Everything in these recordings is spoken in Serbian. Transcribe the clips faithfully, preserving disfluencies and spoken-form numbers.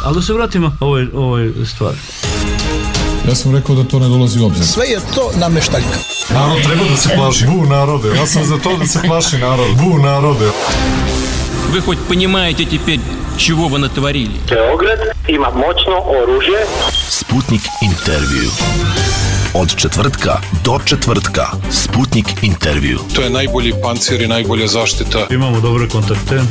Ali da se vratimo ovoj, ovoj stvari. Ja sam rekao da to ne dolazi u obzir. Sve je to nameštaljka. Narod treba da se plaši. Bu narode. Ja sam za to da se plaši narod. Bu narode. Вы хоть понимаете теперь, чего вы натворили? Beograd ima moćno oružje. Sputnik intervju. Od četvrtka do četvrtka. Sputnik intervju. To je najbolji pancir i najbolja zaštita. Imamo dobre kontakte.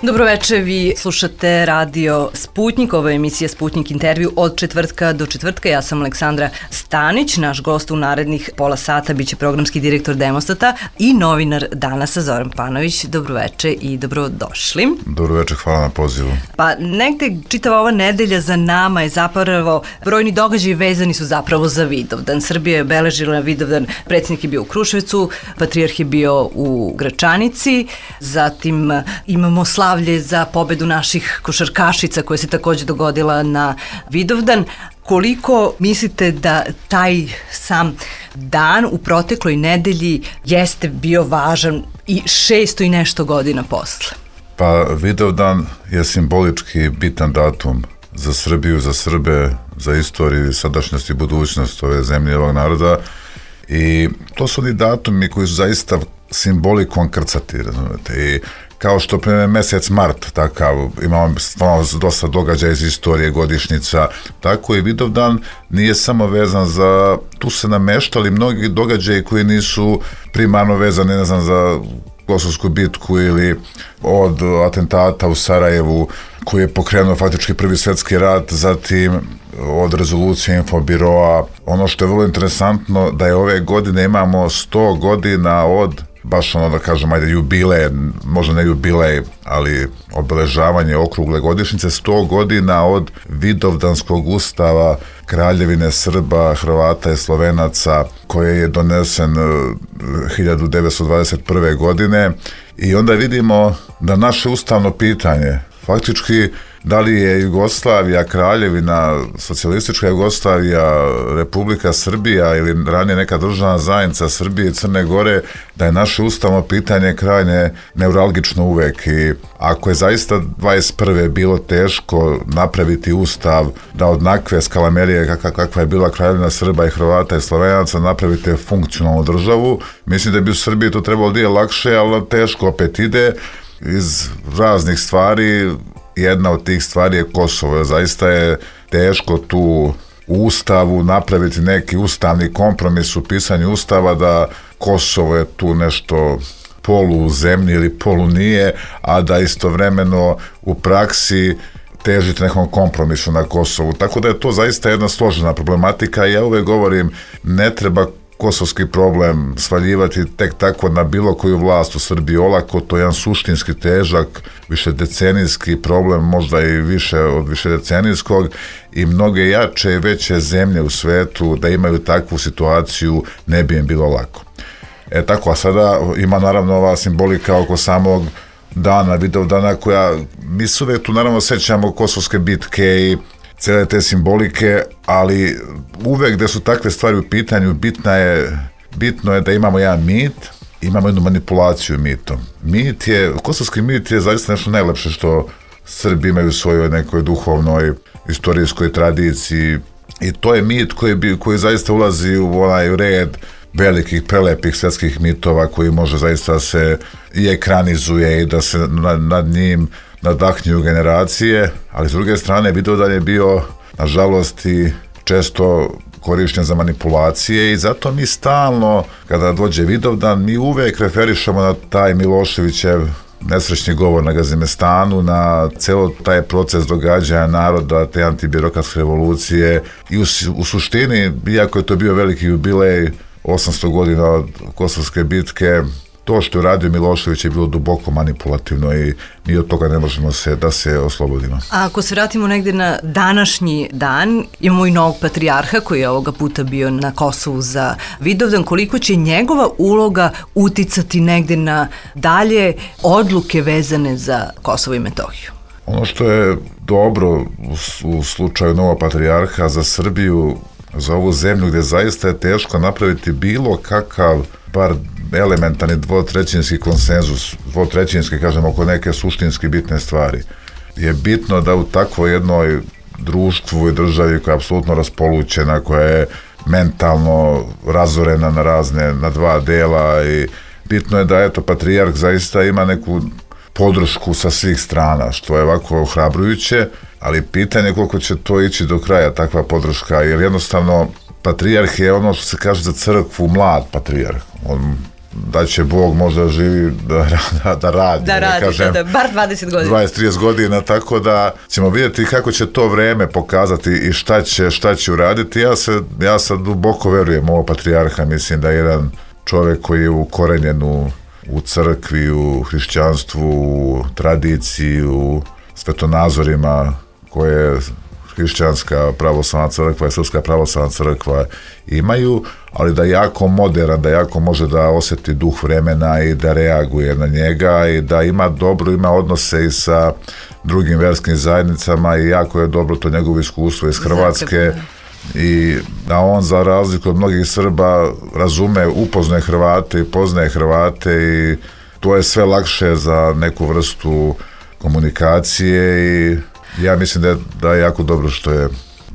Dobroveče, vi slušate radio Sputnik, ovo je emisija Sputnik intervju od četvrtka do četvrtka. Ja sam Aleksandra Stanić, naš gost u narednih pola sata biće programski direktor Demostata i novinar Danasa Zoran Panović. Dobroveče i dobrodošli. Dobroveče, hvala na pozivu. Pa negde čitava ova nedelja za nama je zapravo, brojni događaji vezani su zapravo za Vidovdan. Srbija je obeležila Vidovdan, predsjednik je bio u Kruševcu, patrijarh je bio u Gračanici, zatim imamo slavu za pobedu naših košarkašica koja se takođe dogodila na Vidovdan. Koliko mislite da taj sam dan u protekloj nedelji jeste bio važan i šesto i nešto godina posle? Pa Vidovdan je simbolički bitan datum za Srbiju, za Srbe, za istoriju, sadašnjost i budućnost ove zemlje, ovog naroda, i to su oni datumi koji su zaista simbolikom krcati, razumete, i kao što primjer mesec mart, takav, imamo stvarno dosta događaja iz istorije, godišnjica, tako i Vidovdan nije samo vezan za, tu se nameštali mnogi događaji koji nisu primarno vezani, ne znam, za Kosovsku bitku ili od atentata u Sarajevu koji je pokrenuo faktički prvi svjetski rat, zatim od rezolucije Infobiroa. Ono što je vrlo interesantno da je ove godine imamo sto godina od, baš ono da kažem, ajde, jubilej, možda ne jubilej, ali obeležavanje okrugle godišnjice, sto godina od Vidovdanskog ustava Kraljevine Srba, Hrvata i Slovenaca, koji je donesen hiljadu devetsto dvadeset prve. godine, i onda vidimo da naše ustavno pitanje, faktički, da li je Jugoslavija, Kraljevina, socijalistička Jugoslavija, Republika Srbija ili ranije neka državna zajednica Srbije i Crne Gore, da je naše ustavno pitanje krajnje neuralgično uvek, i ako je zaista dvadeset prve bilo teško napraviti ustav da od nakve skalamerije kakva, kakva je bila Kraljevina Srba i Hrvata i Slovenaca napravite funkcionalnu državu, mislim da bi u Srbiji to trebalo da je lakše, ali teško opet ide iz raznih stvari. Jedna od tih stvari je Kosovo. Zaista je teško tu u ustavu napraviti neki ustavni kompromis u pisanju ustava da Kosovo je tu nešto polu u zemlji ili polu nije, a da istovremeno u praksi težite nekom kompromisu na Kosovu. Tako da je to zaista jedna složena problematika, i ja uvek govorim, ne treba kosovski problem svaljivati tek tako na bilo koju vlast u Srbiji olako, to je jedan suštinski težak, višedecenijski problem, možda i više od višedecenijskog, i mnoge jače i veće zemlje u svetu da imaju takvu situaciju ne bi im bilo lako. E tako, a sada ima naravno ova simbolika oko samog dana, Vidovdana, koja, mi se uvek tu naravno sećamo kosovske bitke i cele te simbolike, ali uvek gde su takve stvari u pitanju, bitna je, bitno je da imamo jedan mit, imamo jednu manipulaciju mitom. Mit je, kosovski mit je zaista nešto najlepše što Srbi imaju u svojoj nekoj duhovnoj, istorijskoj tradiciji, i to je mit koji, bi, koji zaista ulazi u onaj red velikih, prelepih svetskih mitova koji može zaista se i ekranizuje i da se nad, nad njim nadahnjuju generacije, ali s druge strane Vidovdan je bio, nažalost, i često korišćen za manipulacije, i zato mi stalno, kada dođe Vidovdan, mi uvek referišemo na taj Miloševićev nesrećni govor na Gazimestanu, na celo taj proces događanja naroda, te antibirokratske revolucije, i u, u suštini, iako je to bio veliki jubilej, osamsto godina od Kosovske bitke, to što je radio Milošević je bilo duboko manipulativno i mi od toga ne možemo se da se oslobodimo. A ako se vratimo negde na današnji dan, imamo i novog patrijarha koji je ovoga puta bio na Kosovu za Vidovdan. Koliko će njegova uloga uticati negde na dalje odluke vezane za Kosovo i Metohiju? Ono što je dobro u, u slučaju novog patrijarha za Srbiju, za ovu zemlju gde zaista je teško napraviti bilo kakav, bar elementarni dvotrećinski konsenzus, dvotrećinski, kažem, oko neke suštinski bitne stvari. Je bitno da u takvoj jednoj društvu i državi koja je apsolutno raspolućena, koja je mentalno razorena na razne, na dva dela, i bitno je da, eto, patrijarh zaista ima neku podršku sa svih strana, što je ovako ohrabrujuće, ali pitanje je koliko će to ići do kraja, takva podrška, jer jednostavno patrijarh je ono što se kaže za crkvu mlad patrijarh. On, da će Bog možda živi da, da, da radi. Da radi, kažem, da, bar dvadeset godina. dvadeset do trideset godina, tako da ćemo vidjeti kako će to vreme pokazati i šta će, šta će uraditi. Ja, se, ja sad duboko verujem ovog patrijarha, mislim da je jedan čovjek koji je ukorenjen u, u crkvi, u hrišćanstvu, u tradiciji, u svetonazorima koje hrišćanska pravoslavna crkva i srpska pravoslavna crkva imaju, ali da je jako moderan, da jako može da osjeti duh vremena i da reaguje na njega i da ima dobro, ima odnose i sa drugim verskim zajednicama i jako je dobro to njegovo iskustvo iz Hrvatske i da on, za razliku od mnogih Srba, razume, upoznaje Hrvate i poznaje Hrvate i to je sve lakše za neku vrstu komunikacije i ja mislim da je, da je jako dobro što je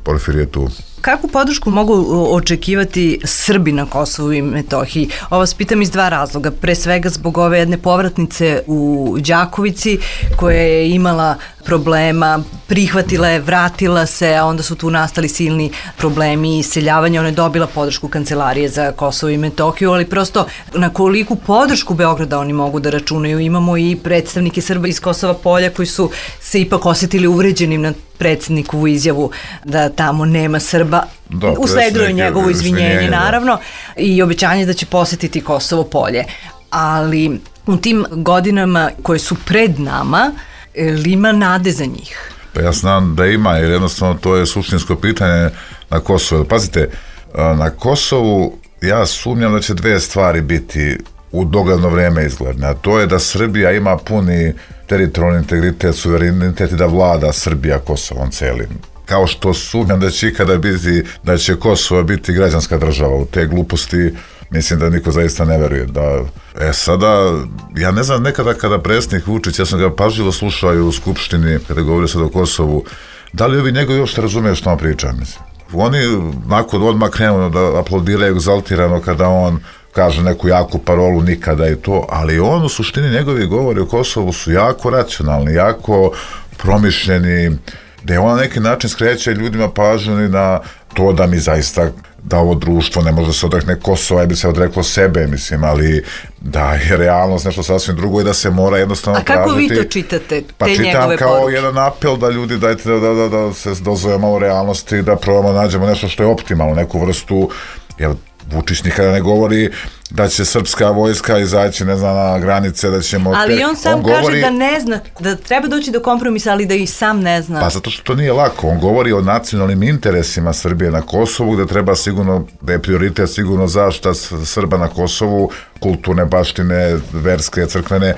Porfirije tu. Kakvu podršku mogu očekivati Srbi na Kosovu i Metohiji? Ovo vas pitam iz dva razloga. Pre svega zbog ove jedne povratnice u Đakovici koja je imala problema, prihvatila je, vratila se, a onda su tu nastali silni problemi i iseljavanja. Ona je dobila podršku Kancelarije za Kosovo i Metohiju, ali prosto na koliku podršku Beograda oni mogu da računaju. Imamo i predstavnike Srba iz Kosova Polja koji su se ipak osjetili uvređenim na predsjednikovu izjavu da tamo nema Srba. Da, usledilo je njegovo izvinjenje, naravno, i obećanje da će posjetiti Kosovo Polje. Ali u tim godinama koje su pred nama, li ima nade za njih? Pa ja znam da ima, jer jednostavno to je suštinsko pitanje na Kosovu. Pazite, na Kosovu ja sumnjam da će dve stvari biti u dogledno vrijeme izgledne, a to je da Srbija ima puni teritorijalni integritet, suverenitet i da vlada Srbija Kosovom celim. Kao što sumnjam da će ikada biti, da će Kosovo biti građanska država. U te gluposti mislim da niko zaista ne veruje. Da, e sada, ja ne znam, nekada kada predsjednik Vučić, ja sam ga pažljivo slušao u Skupštini kada govorio sad o Kosovu, da li ovi njegovi uopšte razumiju što on priča, mislim. Oni nakon odmah krenu da aplaudiraju egzaltirano kada on kaže neku jaku parolu, nikada i to, ali on u suštini njegovi govori o Kosovu su jako racionalni, jako promišljeni, da on na neki način skreće ljudima pažnju na to da mi zaista, da ovo društvo ne može da se odrekne Kosova i bi se odreklo sebe, mislim, ali da je realnost nešto sasvim drugo i da se mora jednostavno tražiti. A kako tražiti, vi to čitate, te pa njegove čitam kao poruke? Jedan apel da ljudi dajte da, da, da, da se dozovemo u realnosti, da probamo nađemo nešto što je optimalno, neku vrstu, jer Vučić nikada ne govori da će srpska vojska izaći, ne znam, na granice, da ćemo... Ali on sam on kaže govori, da ne zna, da treba doći do kompromisa, ali da i sam ne zna. Pa zato što to nije lako. On govori o nacionalnim interesima Srbije na Kosovu, gde treba sigurno, da je prioritet sigurno zaštita Srba na Kosovu, kulturne baštine, verske, crkvene,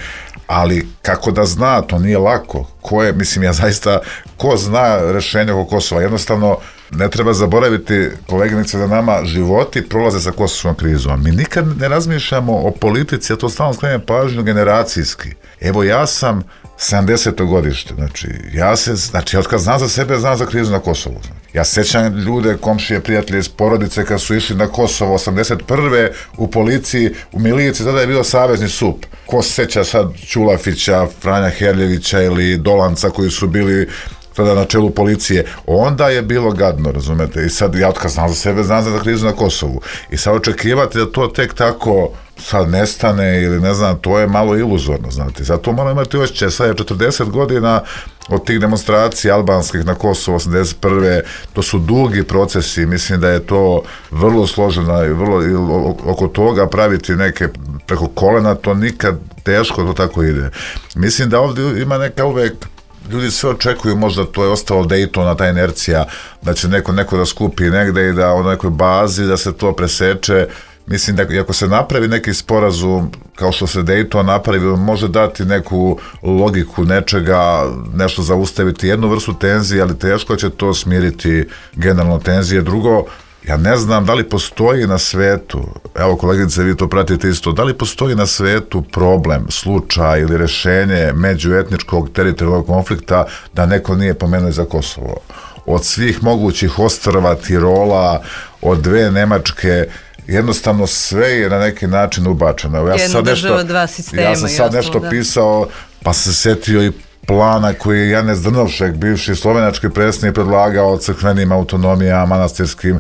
ali kako da zna, to nije lako. Ko je, mislim, ja zaista, ko zna rešenje oko Kosova? Jednostavno, ne treba zaboraviti, koleginice, da nama životi prolaze sa kosovskom krizom. Mi nikad ne razmišljamo o politici, ja to stalno skrenem pažnju generacijski. Evo, ja sam sedamdeseto godište, znači, ja se, znači, od kad znam za sebe, znam za krizu na Kosovu. Ja sećam ljude, komšije, prijatelje iz porodice kad su išli na Kosovo osamdeset prve u policiji, u miliciji, tada je bio savezni sup. Ko se seća sad Ćulafića, Franja Herljevića ili Dolanca koji su bili tada na čelu policije, onda je bilo gadno, razumete, i sad ja otkaz znam za sebe, znam za krizu na Kosovu i sad očekivati da to tek tako sad nestane ili ne znam, to je malo iluzorno, znate, zato moramo imati osjećaj, sad je četrdeset godina od tih demonstracija albanskih na Kosovu osamdeset prve, to su dugi procesi, mislim da je to vrlo složeno i vrlo, i oko toga praviti neke preko kolena, to nikad teško to tako ide. Mislim da ovdje ima neka uvek, ljudi sve očekuju, možda to je ostalo Daytona, ta inercija, da će neko, neko da skupi negde i da u nekoj bazi da se to preseče. Mislim da ako se napravi neki sporazum, kao što se Dayton napravi, može dati neku logiku nečega, nešto zaustaviti, jednu vrstu tenzije, ali teško će to smiriti generalno tenzije. Drugo, Ja ne znam da li postoji na svetu, evo koleginice, vi to pratite isto, da li postoji na svetu problem, slučaj ili rešenje međuetničkog teritorijalnog konflikta da neko nije pomenuo za Kosovo. Od svih mogućih ostrva, Tirola, od dve Nemačke, jednostavno sve je na neki način ubačeno. Ja sam sad nešto, dva sistema, ja sam sad nešto da. pisao, pa se setio i plana koji je Janez Drnovšek, bivši slovenački predsjednik, predlagao crkvenim autonomijama, manastirskim.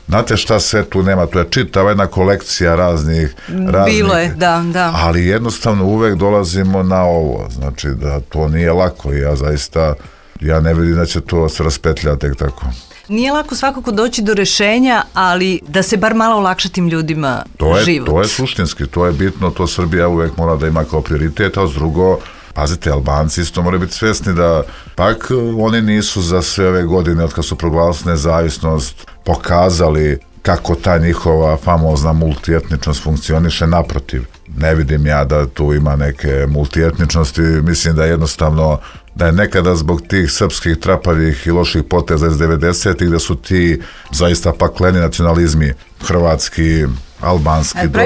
Znate šta sve tu nema? Tu je čitava jedna kolekcija raznih... raznih Bilo je, da, da. Ali jednostavno uvek dolazimo na ovo. Znači da to nije lako i ja zaista, ja ne vidim da će to se raspetljati tek tako. Nije lako svakako doći do rešenja, ali da se bar malo olakša tim ljudima to je, život. To je suštinski, to je bitno, to Srbija uvek mora da ima kao prioritet, a s drugo, pazite, Albanci isto moraju biti svesni da pak oni nisu za sve ove godine od kad su proglasili nezavisnost pokazali kako ta njihova famozna multietničnost funkcioniše. Naprotiv, ne vidim ja da tu ima neke multietničnosti, mislim da jednostavno da je nekada zbog tih srpskih trapavih i loših poteza iz devedesetih da su ti zaista pakleni nacionalizmi hrvatski, albanski do,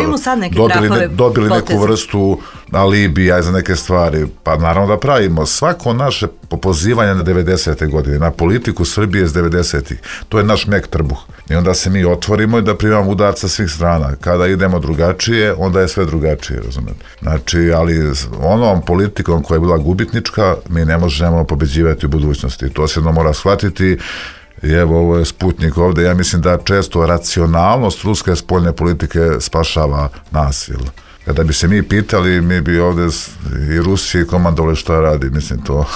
dobili, ne, dobili neku vrstu alibija za neke stvari. Pa naravno da pravimo svako naše pozivanje na devedesete godine, na politiku Srbije iz devedesetih, to je naš mek trbuh. I onda se mi otvorimo i da primamo udarca svih strana. Kada idemo drugačije, onda je sve drugačije, razumete. Znači, ali onom politikom koja je bila gubitnička, mi ne možemo pobeđivati u budućnosti. To se jedno mora shvatiti. I evo, ovo je Sputnik ovde. Ja mislim da često racionalnost ruske spoljne politike spašava nas. Jel? Kada bi se mi pitali, mi bi ovde i Rusiji komandovali šta radi. Mislim to...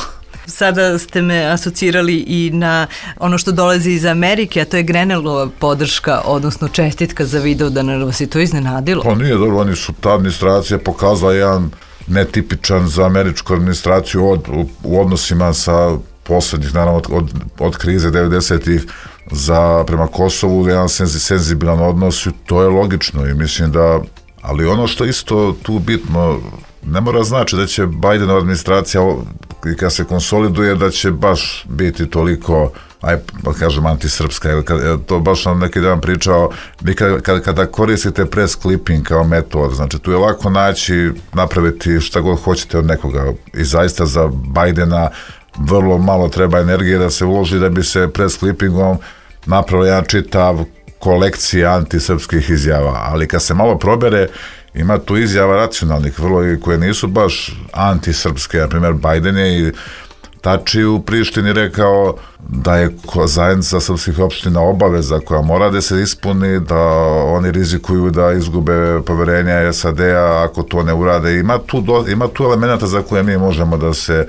Sada ste me asocirali i na ono što dolazi iz Amerike, a to je Grenellova podrška, odnosno čestitka za Vidovdan. Vas je to iznenadilo? Pa nije dobro, oni su, ta administracija pokazala jedan netipičan za američku administraciju od, u, u odnosima sa poslednjih, naravno, od, od, od krize devedesetih za prema Kosovu, jedan senzi, senzibilan odnos, to je logično i mislim da, ali ono što isto tu bitno, ne mora znači da će Bidenova administracija i kad se konsoliduje da će baš biti toliko, aj pa kažem, antisrpska, to baš nam neki dan pričao, vi kada, kada koristite press clipping kao metod, znači tu je lako naći, napraviti šta god hoćete od nekoga i zaista za Bidena vrlo malo treba energije da se uloži da bi se press clippingom napravio jedan čitav kolekcija antisrpskih izjava, ali kad se malo probere, ima tu izjava racionalnih vrlo i koje nisu baš antisrpske. Na primjer, Biden je i Tači u Prištini rekao da je zajednica srpskih opština obaveza koja mora da se ispuni, da oni rizikuju da izgube poverenja S A D-a ako to ne urade. Ima tu, do, ima tu elementa za koje mi možemo da se,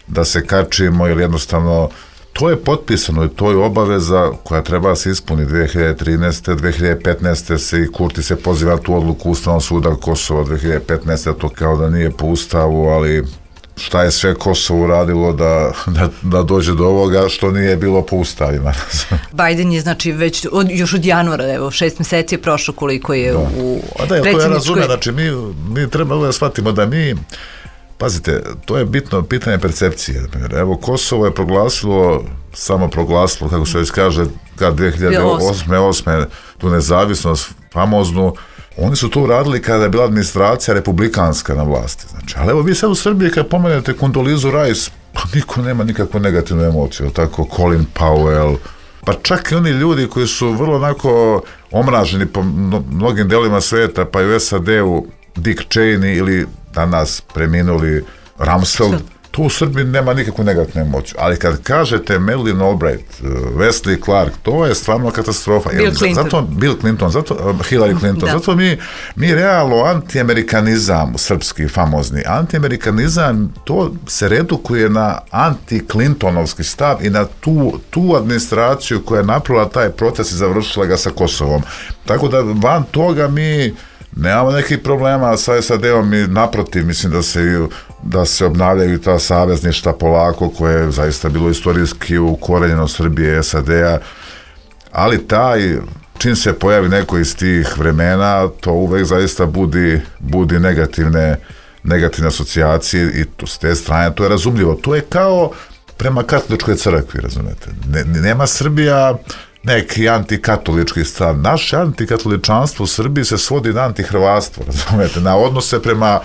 da se kačimo ili jednostavno to je potpisano i to je obaveza koja treba se ispuni dve hiljade trinaeste. dve hiljade petnaeste. se i Kurti se poziva tu odluku Ustavnog suda Kosova dve hiljade petnaeste. to kao da nije po ustavu, ali šta je sve Kosovo uradilo da, da, da dođe do ovoga što nije bilo po ustavima. Biden je znači već od, još od januara, evo šest meseci je prošlo koliko je da. u A da, to ja razumem, znači mi, mi treba da shvatimo da mi, pazite, to je bitno pitanje percepcije. Evo, Kosovo je proglasilo, samo proglasilo, kako se već kaže, kad dve hiljade osme. tu nezavisnost famoznu, oni su to uradili kada je bila administracija republikanska na vlasti. Znači, ali evo vi sad u Srbiji kad pomenete Kondolizu Rice, pa niko nema nikakvu negativnu emociju, tako Colin Powell, pa čak i oni ljudi koji su vrlo onako omraženi po mnogim delima sveta, pa i u S A D-u Dick Cheney ili danas preminuli Rumsfeld, tu u Srbiji nema nikakvu negativnu emociju. Ali kad kažete Madeleine Albright, Wesley Clark, to je stvarno katastrofa. Bill Clinton. Zato, Bill Clinton, zato, Hillary Clinton, da. zato mi, mi realno antiamerikanizam, srpski famozni, antiamerikanizam, to se redukuje na anti-Clintonovski stav i na tu, tu administraciju koja je napravila taj proces i završila ga sa Kosovom. Tako da van toga mi nemamo nekih problema sa S A D-om i naprotiv, mislim da se, da se obnavljaju ta savezništa polako koje je zaista bilo istorijski ukorenjeno Srbije, S A D-a, ali taj, čim se pojavi neko iz tih vremena, to uvek zaista budi, budi negativne, negativne asocijacije i to, s te strane to je razumljivo. To je kao prema katoličkoj crkvi, razumete. Ne, nema Srbija neki antikatolički stav. Naše antikatoličanstvo u Srbiji se svodi na antihrvatstvo, razumete, na odnose prema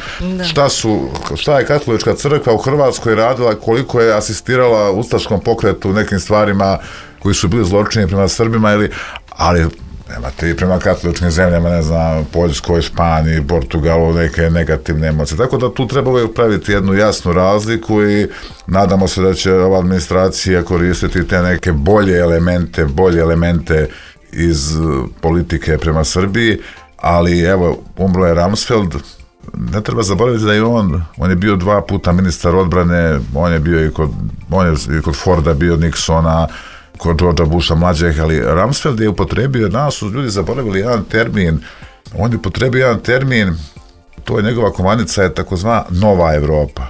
šta su, šta je katolička crkva u Hrvatskoj radila, koliko je asistirala ustaškom pokretu u nekim stvarima koji su bili zločini prema Srbima, ili, ali nemate i prema katoličkim zemljama, ne znam, Poljskoj, Španiji, Portugalu, neke negativne emocije. Tako da tu treba uvijek praviti jednu jasnu razliku i nadamo se da će ova administracija koristiti te neke bolje elemente, bolje elemente iz politike prema Srbiji, ali evo, umro je Rumsfeld, ne treba zaboraviti da je on, on je bio dva puta ministar odbrane, on je bio i kod, on je i kod Forda bio, Nixona, kod Georgea Busha mlađeg, ali Rumsfeld je upotrebio, danas su ljudi zaboravili jedan termin, on je upotrebio jedan termin, to je njegova komanica, je takozvana Nova Evropa.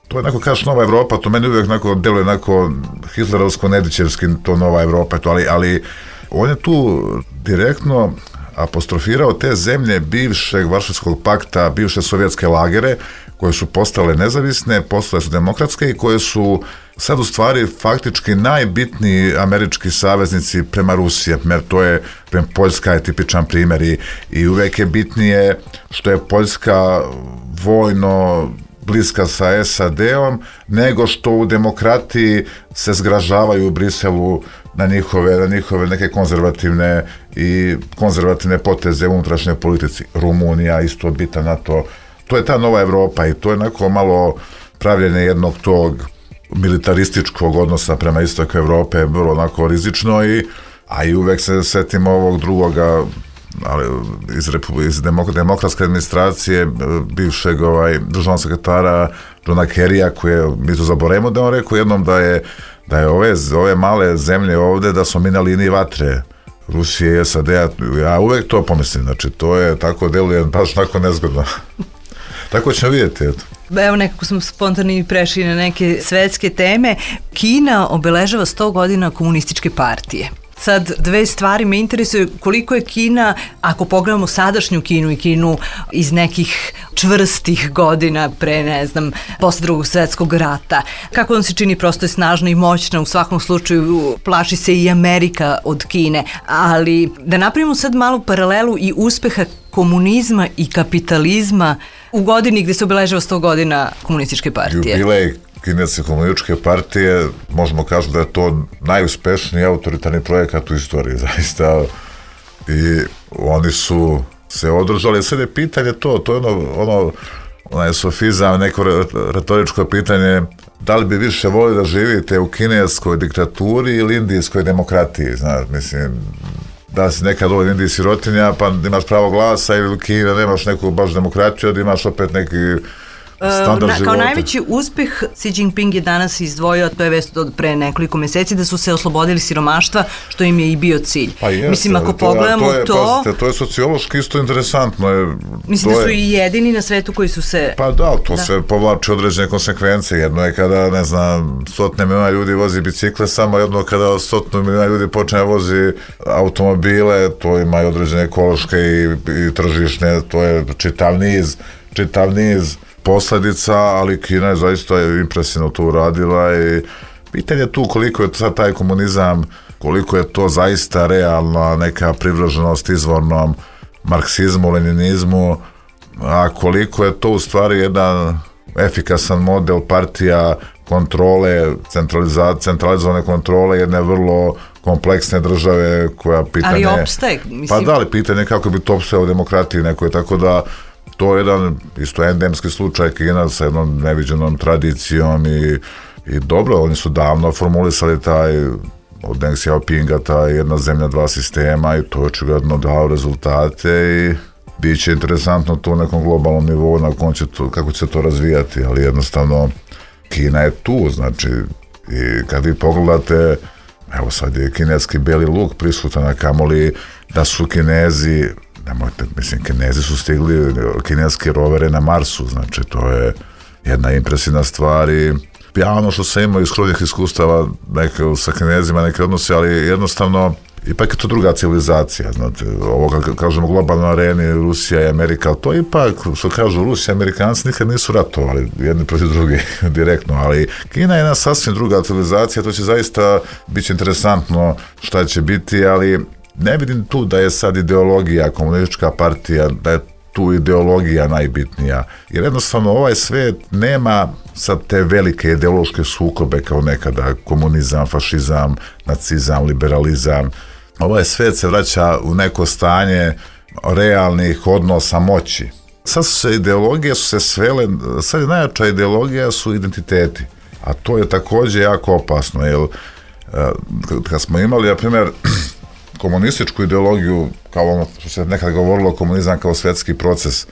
To je onako, kažeš Nova Evropa, to meni uvijek onako deluje onako hitlerovsko-nedićevski, to Nova Evropa, to, ali, ali on je tu direktno apostrofirao te zemlje bivšeg Varšavskog pakta, bivše sovjetske lagere, koje su postale nezavisne, postale su demokratske i koje su sad u stvari faktički najbitniji američki saveznici prema Rusiji, jer to je, prema Poljska je tipičan primjer i, i uvek je bitnije što je Poljska vojno bliska sa es a de-om, nego što u demokratiji se zgražavaju u Briselu na njihove, na njihove neke konzervativne i konzervativne poteze u unutrašnjoj politici. Rumunija isto bitan na to. To je ta Nova Evropa i to je onako malo pravljenje jednog tog militarističkog odnosa prema istoku Evrope, vrlo onako rizično, i, a i uvek se setimo ovog drugoga, ali iz, iz demokratske administracije bivšeg ovaj, državnog sekretara Johna Kerrya, koji je, mi to zaboravimo da on rekao jednom da je, da je ove, ove male zemlje ovde, da smo mi na liniji vatre Rusije i es a de-a, ja uvek to pomislim, znači to je tako, deluje baš tako nezgodno. Tako ćemo vidjeti, eto. Evo, nekako smo spontano i prešli na neke svetske teme. Kina obeležava sto godina komunističke partije. Sad, dve stvari me interesuje, koliko je Kina, ako pogledamo sadašnju Kinu i Kinu iz nekih čvrstih godina pre, ne znam, posle drugog svetskog rata, kako vam se čini, prosto je snažna i moćna, u svakom slučaju plaši se i Amerika od Kine, ali da napravimo sad malu paralelu i uspeha komunizma i kapitalizma u godini gde se obeležava sto godina komunističke partije. Jubilej Kineske komunističke partije, možemo kažu da je to najuspešniji autoritarni projekat u istoriji, zaista. I oni su se održali. Sad je pitanje to, to je ono, ono onaj sofizam, neko retoričko pitanje, da li bi više volili da živite u kineskoj diktaturi ili indijskoj demokratiji, znaš, mislim, da si nekad ovdje Indiji sirotinja, pa imaš pravo glasa, ili u Kini nemaš neku baš demokratiju, da imaš opet neki standard Na, života. kao najveći uspeh Xi Jinping je danas izdvojio, to je vest od pre nekoliko meseci, da su se oslobodili siromaštva, što im je i bio cilj. Pa jeste, mislim, ako to, pogledamo to... Je, to... pazite, to je sociološki isto interesantno. Je, mislim da su je, i jedini na svetu koji su se... Pa da, to da. se povlači određene konsekvence. Jedno je kada, ne znam, stotne miliona ljudi vozi bicikle, samo jedno kada stotne miliona ljudi počne vozi automobile, to ima i određene ekološke i, i tržišne, to je čitav niz, čitav niz posledica, ali Kina je zaista impresivno to uradila i pitanje je tu koliko je sad taj komunizam, koliko je to zaista realna neka privrženost izvornom marksizmu, leninizmu, a koliko je to u stvari jedan efikasan model partija kontrole, centralizovane kontrole jedne vrlo kompleksne države koja pitanje... Ali opstaje, mislim... Pa da, ali pitanje kako bi to opstajao u demokratiji nekoj, tako da to je jedan isto endemski slučaj Kina sa jednom neviđenom tradicijom i, i dobro, oni su davno formulisali taj od Deng Xiaopinga, ta jedna zemlja, dva sistema i to je očigledno dao rezultate i bit će interesantno to u nekom globalnom nivou na kom će to, kako će se to razvijati, ali jednostavno Kina je tu, znači i kad vi pogledate, evo sad je kineski beli luk prisutan, a kamoli da su Kinezi, nemojte, mislim, Kinezi su stigli kineske rovere na Marsu, znači to je jedna impresivna stvar i ja ono što sam imao iz kruvnih iskustava neke, sa Kinezima, neke odnose, ali jednostavno ipak je to druga civilizacija, znate, ovo kad kažemo globalno areni, Rusija i Amerika, to ipak, što kažu Rusija i Amerikanci nikad nisu ratovali jedni protiv drugih direktno, ali Kina je jedna sasvim druga civilizacija, to će zaista biti interesantno šta će biti, ali ne vidim tu da je sad ideologija, komunistička partija, da je tu ideologija najbitnija, jer jednostavno ovaj svet nema sad te velike ideološke sukobe kao nekada, komunizam, fašizam, nacizam, liberalizam. Ovaj svet se vraća u neko stanje realnih odnosa moći. Sad su se ideologije su se svele, sad je najjača ideologija su identiteti, a to je također jako opasno, jer kad smo imali, na primjer, komunističku ideologiju, kao ono što se nekada govorilo, komunizam kao svetski proces,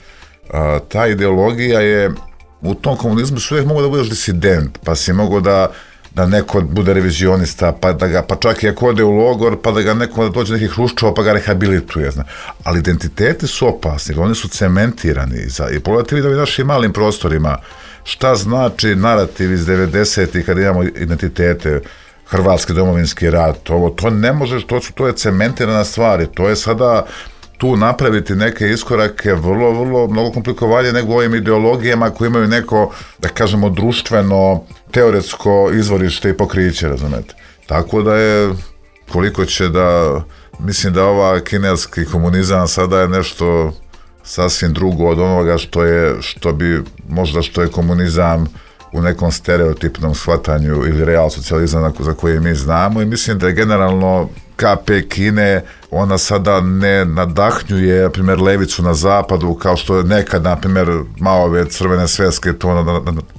ta ideologija je, u tom komunizmu su uvijek mogu da budeš disident, pa si mogu da da neko bude revizionista, pa da ga, pa čak i ako ode u logor, pa da ga neko da dođe nekih Hruščova, pa ga rehabilituje, zna. Ali identiteti su opasni, oni su cementirani. I pogledajte vi da vi našim malim prostorima, šta znači narativ iz devedesetih kad imamo identitete, Hrvatski domovinski rat, ovo, to ne možeš, to, su, to je cementirana stvari, to je sada tu napraviti neke iskorake vrlo, vrlo mnogo komplikovanje nego ovim ideologijama koji imaju neko, da kažemo, društveno, teoretsko izvorište i pokriće, razumete. Tako da je, koliko će da, mislim da ova kineski komunizam sada je nešto sasvim drugo od onoga što je, što bi, možda što je komunizam u nekom stereotipnom shvatanju ili real socijalizam za koje mi znamo, i mislim da je generalno K P Kine, ona sada ne nadahnjuje, na primjer, levicu na zapadu, kao što je nekad, na primjer, Maove crvene sveske to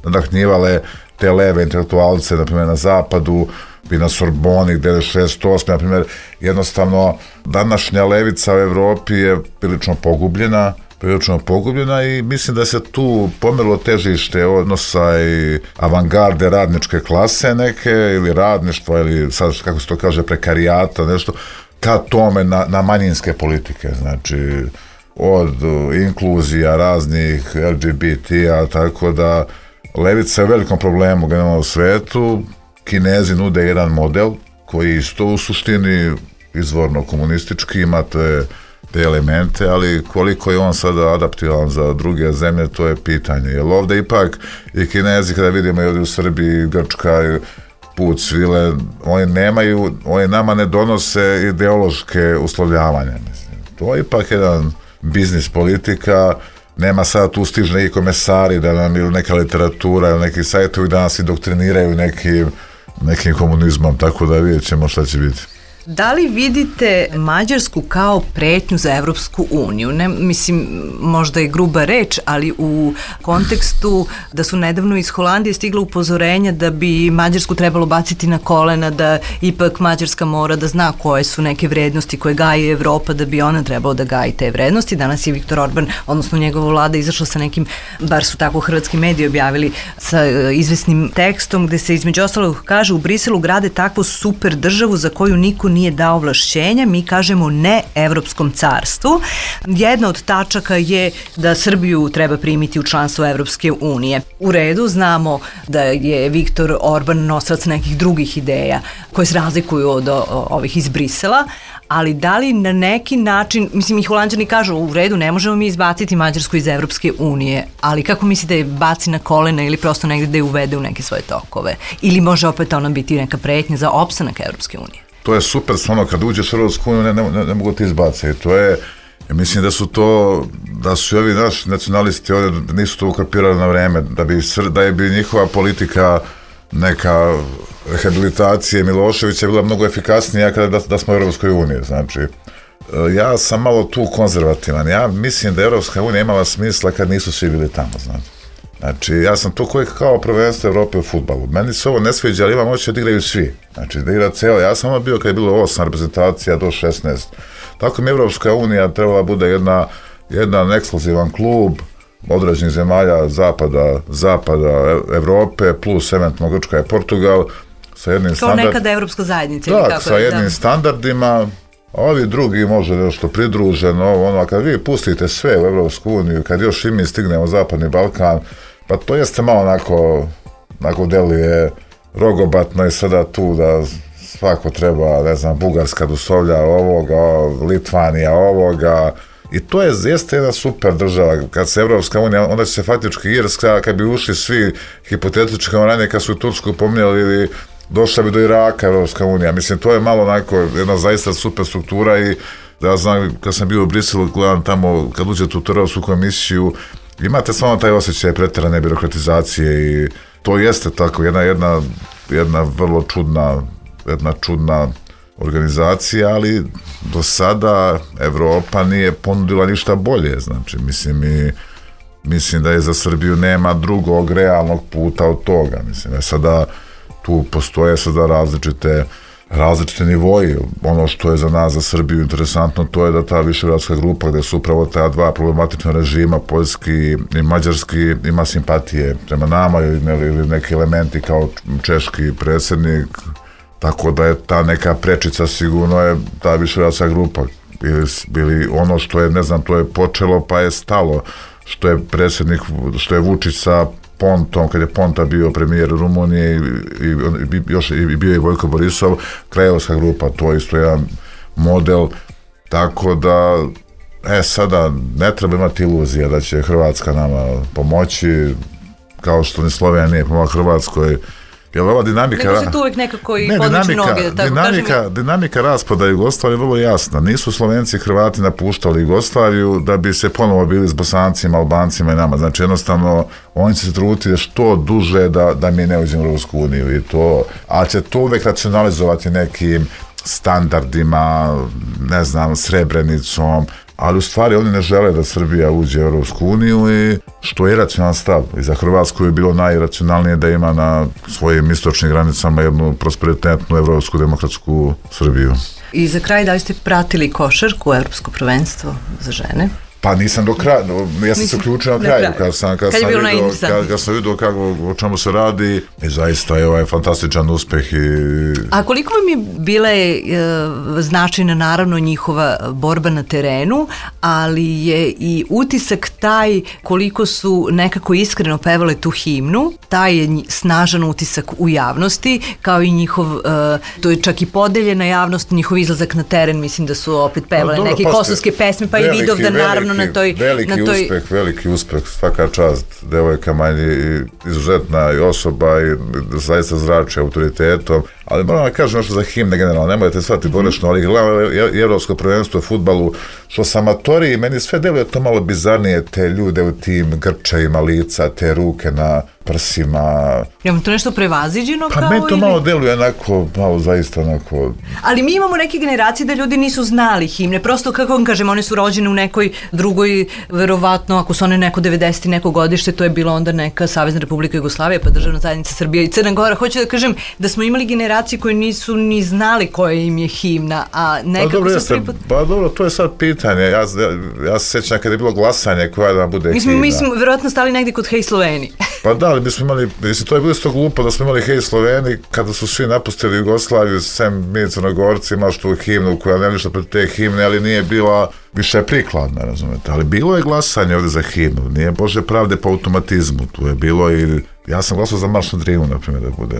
nadahnjivale te leve intelektualce, na primjer, na zapadu, i na Sorboni, gde je šezdeset osme, na primjer, jednostavno, današnja levica u Evropi je prilično pogubljena, prilično pogubljena i mislim da se tu pomerilo težište odnosa i avangarde radničke klase neke, ili radništva, ili sad kako se to kaže, prekarijata, nešto, ka tome na, na manjinske politike, znači od inkluzija raznih L G B T-a, tako da levica je u velikom problemu generalno u svetu. Kinezi nude jedan model koji isto u suštini izvorno komunistički ima te, te elemente, ali koliko je on sada adaptivan za druge zemlje, to je pitanje. Jer ovdje ipak i Kinezi, kada vidimo i ovdje u Srbiji, Grčka, put svile, oni nemaju, oni nama ne donose ideološke uslovljavanja. Mislim. To je ipak jedan biznis politika, nema sada tu stižu neki komesari da nam ili neka literatura ili neki sajtovi da nas indoktriniraju nekim, nekim komunizmom, tako da vidjet ćemo šta će biti. Da li vidite Mađarsku kao pretnju za Evropsku uniju? Ne, mislim, možda je gruba reč, ali u kontekstu da su nedavno iz Holandije stigla upozorenja da bi Mađarsku trebalo baciti na kolena, da ipak Mađarska mora da zna koje su neke vrednosti koje gaji Evropa, da bi ona trebalo da gaji te vrednosti. Danas je Viktor Orban, odnosno njegova vlada, izašla sa nekim, bar su tako hrvatski mediji objavili, sa izvesnim tekstom gde se između ostalog kaže: u Briselu grade takvu super državu za koju niko nije dao ovlašćenja, mi kažemo ne Evropskom carstvu. Jedna od tačaka je da Srbiju treba primiti u članstvo Evropske unije. U redu, znamo da je Viktor Orban nosilac nekih drugih ideja koje se razlikuju od ovih iz Brisela, ali da li na neki način, mislim, i Holanđani kažu u redu, ne možemo mi izbaciti Mađarsku iz Evropske unije, ali kako mislite da je baci na kolena ili prosto negde da je uvede u neke svoje tokove? Ili može opet ona biti neka pretnja za opstanak Evropske unije? To je super, stvarno, kad uđeš u Europsku uniju ne, ne, ne, ne mogu ti izbaciti. To je, ja mislim da su to, da su i ovi naši nacionalisti ovdje nisu to ukapirali na vreme, da bi, da je bi njihova politika neka rehabilitacije Miloševića bila mnogo efikasnija kada da, da smo u Europskoj uniji. Znači, ja sam malo tu konzervativan. Ja mislim da je Europska unija imala smisla kad nisu svi bili tamo, znači. Znači, ja sam to koji kao prvenstvo Evrope u fudbalu. Meni se ovo ne sviđa, ali imam oči da igraju svi. Znači, da igra celo. Ja sam ono bio kad je bilo osam reprezentacija do šesnaest. Tako mi Evropska unija trebala bude jedna, jedan ekskluzivan klub određenih zemalja zapada, zapada Evrope, plus eventualno Grčka i Portugal, sa jednim standardima. Kao nekada Evropska zajednica. Da, kako sa je, jednim da. standardima. Ovi drugi može nešto pridruženo, ono, a kad vi pustite sve u Evropsku uniju, kad još i mi stignemo Zapadni Balkan, pa to jeste malo onako, onako deluje rogobatno i sada tu da svako treba, ne znam, Bugarska doslovlja ovoga, Litvanija ovoga, i to je jeste jedna super država. Kad se Evropska unija, onda će se faktički Irska, kad bi ušli svi hipotetički ranije, kad su Tursku pominjali, ili došla bi do Iraka Evropska unija. Mislim, to je malo onako jedna zaista super struktura i ja znam, kad sam bio u Briselu, gledam tamo, kad uđete u Europsku komisiju, imate samo taj osjećaj preterane birokratizacije i to jeste tako, jedna, jedna, jedna vrlo čudna, jedna čudna organizacija, ali do sada Evropa nije ponudila ništa bolje, znači, mislim, i mislim da je za Srbiju nema drugog realnog puta od toga, mislim, je sada tu postoje sada različite različite nivoji. Ono što je za nas, za Srbiju interesantno, to je da ta višegradska grupa gde su upravo ta dva problematična režima, poljski i mađarski, ima simpatije prema nama ili neki elementi kao češki predsjednik, tako da je ta neka prečica sigurno je ta višegradska grupa. Ili, ili ono što je, ne znam, to je počelo pa je stalo, što je predsjednik, što je Vučić sa Pontom, kad je Ponta bio premijer Rumunije i, i, još i bio je Vojko Borisov, Krajevska grupa, to je isto jedan model, tako da e, sada ne treba imati iluzija da će Hrvatska nama pomoći, kao što ni Slovenija nije pomogla Hrvatskoj. Jer ova dinamika... Nego se tu uvijek nekako i ne, podliči dinamika, noge, tako dinamika, kažem. dinamika raspada Jugoslavije je vrlo jasna. Nisu Slovenci i Hrvati napuštali Jugoslaviju da bi se ponovo bili s Bosancima, Albancima i nama. Znači, jednostavno, oni će se truditi što duže da, da mi ne uđemo u Europsku uniju i to, a će to uvijek racionalizovati nekim standardima, ne znam, Srebrenicom, ali u stvari oni ne žele da Srbija uđe u Europsku uniju i što je racionalan stav. I za Hrvatsku je bilo najracionalnije da ima na svojim istočnim granicama jednu prosperitetnu evropsku demokratsku Srbiju. I za kraj, da li ste pratili košarku, evropsko prvenstvo za žene? Pa nisam do kraja, ja sam se uključio na kraju, kad sam, kad kad sam vidio, kad, kad sam vidio kako, o čemu se radi i zaista je ovaj fantastičan uspeh. I... A koliko vam je bila je e, značajna naravno njihova borba na terenu, ali je i utisak taj koliko su nekako iskreno pevale tu himnu, taj je snažan utisak u javnosti, kao i njihov, e, to je čak i podeljena javnost, njihov izlazak na teren, mislim da su opet pevale dobro, neke kosovske pesme, pa veliki, i Vidovdan naravno na toj... Veliki na toj... uspeh, veliki uspeh, svaka čast devojkama i izuzetna i osoba i zaista zrače autoritetom, ali moram da kažem nešto za himne generalno, nemojte shvatiti pogrešno, ali gledam evropsko prvenstvo u fudbalu, što sam amatori, meni sve deluje to malo bizarnije, te ljude u tim grčajima lica, te ruke na prsima. Je vam to nešto prevaziđeno pa kao? Pa meni to ili... malo deluje onako, malo zaista onako... Ali mi imamo neke generacije da ljudi nisu znali himne, prosto kako vam kažem, one su rođene u nekoj drugoj, verovatno, ako su one neko devedeset neko godište, to je bilo onda neka Savezna Republika Jugoslavija, pa Državna zajednica Srbija i Crna Gora. Hoću da kažem da smo imali generacije koje nisu ni znali koja im je himna, a nekako pa dobro, se priput... Pa dobro, to je sad pitanje. Ja, ja, ja se sjećam kada je bilo glasanje koja da bude mi smo, himna. Mi smo verovatno stali negdje kod Hej Sloveni. Pa da, ali mi smo imali, mislim, to je bilo isto glupo da smo imali Hej Sloveni kada su svi napustili Jugoslaviju, sem mi Crnogorci, imaš tu himnu koja ne ništa pred te himne, ali nije bila više prikladna, razumete. Ali bilo je glasanje ovdje za himnu, nije Bože pravde po automatizmu, tu je bilo i... Ja sam glasao za Marš na Drinu, na primjer, da bude...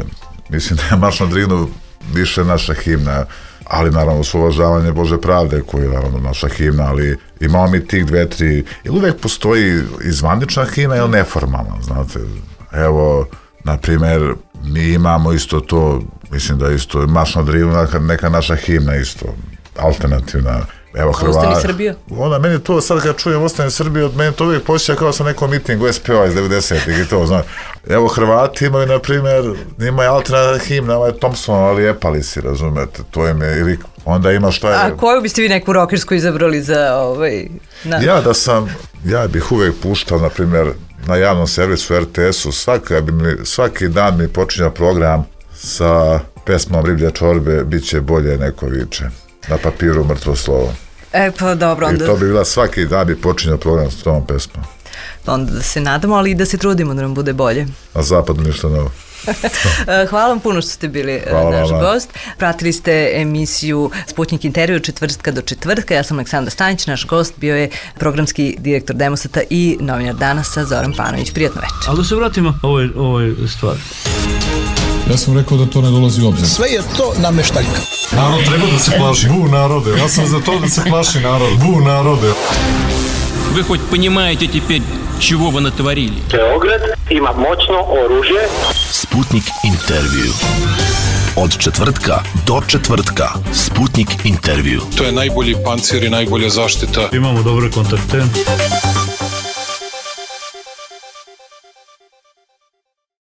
Mislim da je Marš na Drinu više naša himna, ali naravno s uvažavanje Bože pravde koji je naravno naša himna, ali imamo mi tih dve, tri, jer uvek postoji i zvanična himna ili neformalna, znate, evo, na primjer, mi imamo isto to, mislim da isto, Marš na Drinu, neka naša himna isto, alternativna. Evo Hrvati. Ostani Srbija. Onda meni to sad kad čujem Ostani Srbija, od mene to uvijek posjeća kao sa nekom mitingu S P O iz devedesetih i to, znaš. Evo Hrvati imaju, na primjer, ima je alternativna himna, ovaj Thompson, ali epali si, razumete, to im je, ili onda ima šta je... A koju biste vi neku rokersku izabrali za ovaj... Na... Ja da sam, ja bih uvijek puštao, na primjer, na javnom servisu R T S-u, svaki, bi mi, svaki dan mi počinja program sa pesmom Riblje čorbe, bit će bolje neko viče. Na papiru mrtvo slovo. E pa dobro, onda... I to bi bila svaki dan bi počinjao program s tom pesmom. Onda da se nadamo, ali i da se trudimo da nam bude bolje. Na zapadu ništa novo. Hvala vam puno što ste bili Hvala naš vam. gost. Pratili ste emisiju Sputnik intervju četvrtka do četvrtka. Ja sam Aleksandra Stanić, naš gost bio je programski direktor Demosata i novinar Danasa Zoran Panović. Prijatno večer. Ali da se vratimo ovoj, ovoj stvari. Ja sam rekao da to ne dolazi u obzir. Sve je to nameštaljka. Narod treba da se plaši. Bu narode. Ja sam za to da se plaši narod. Bu narode. Вы хоть понимаете теперь, чего вы натворили? Beograd ima moćno oružje. Sputnik intervju. Od četvrtka do četvrtka. Sputnik intervju. To je najbolji pancir i najbolja zaštita. Imamo dobre kontakte.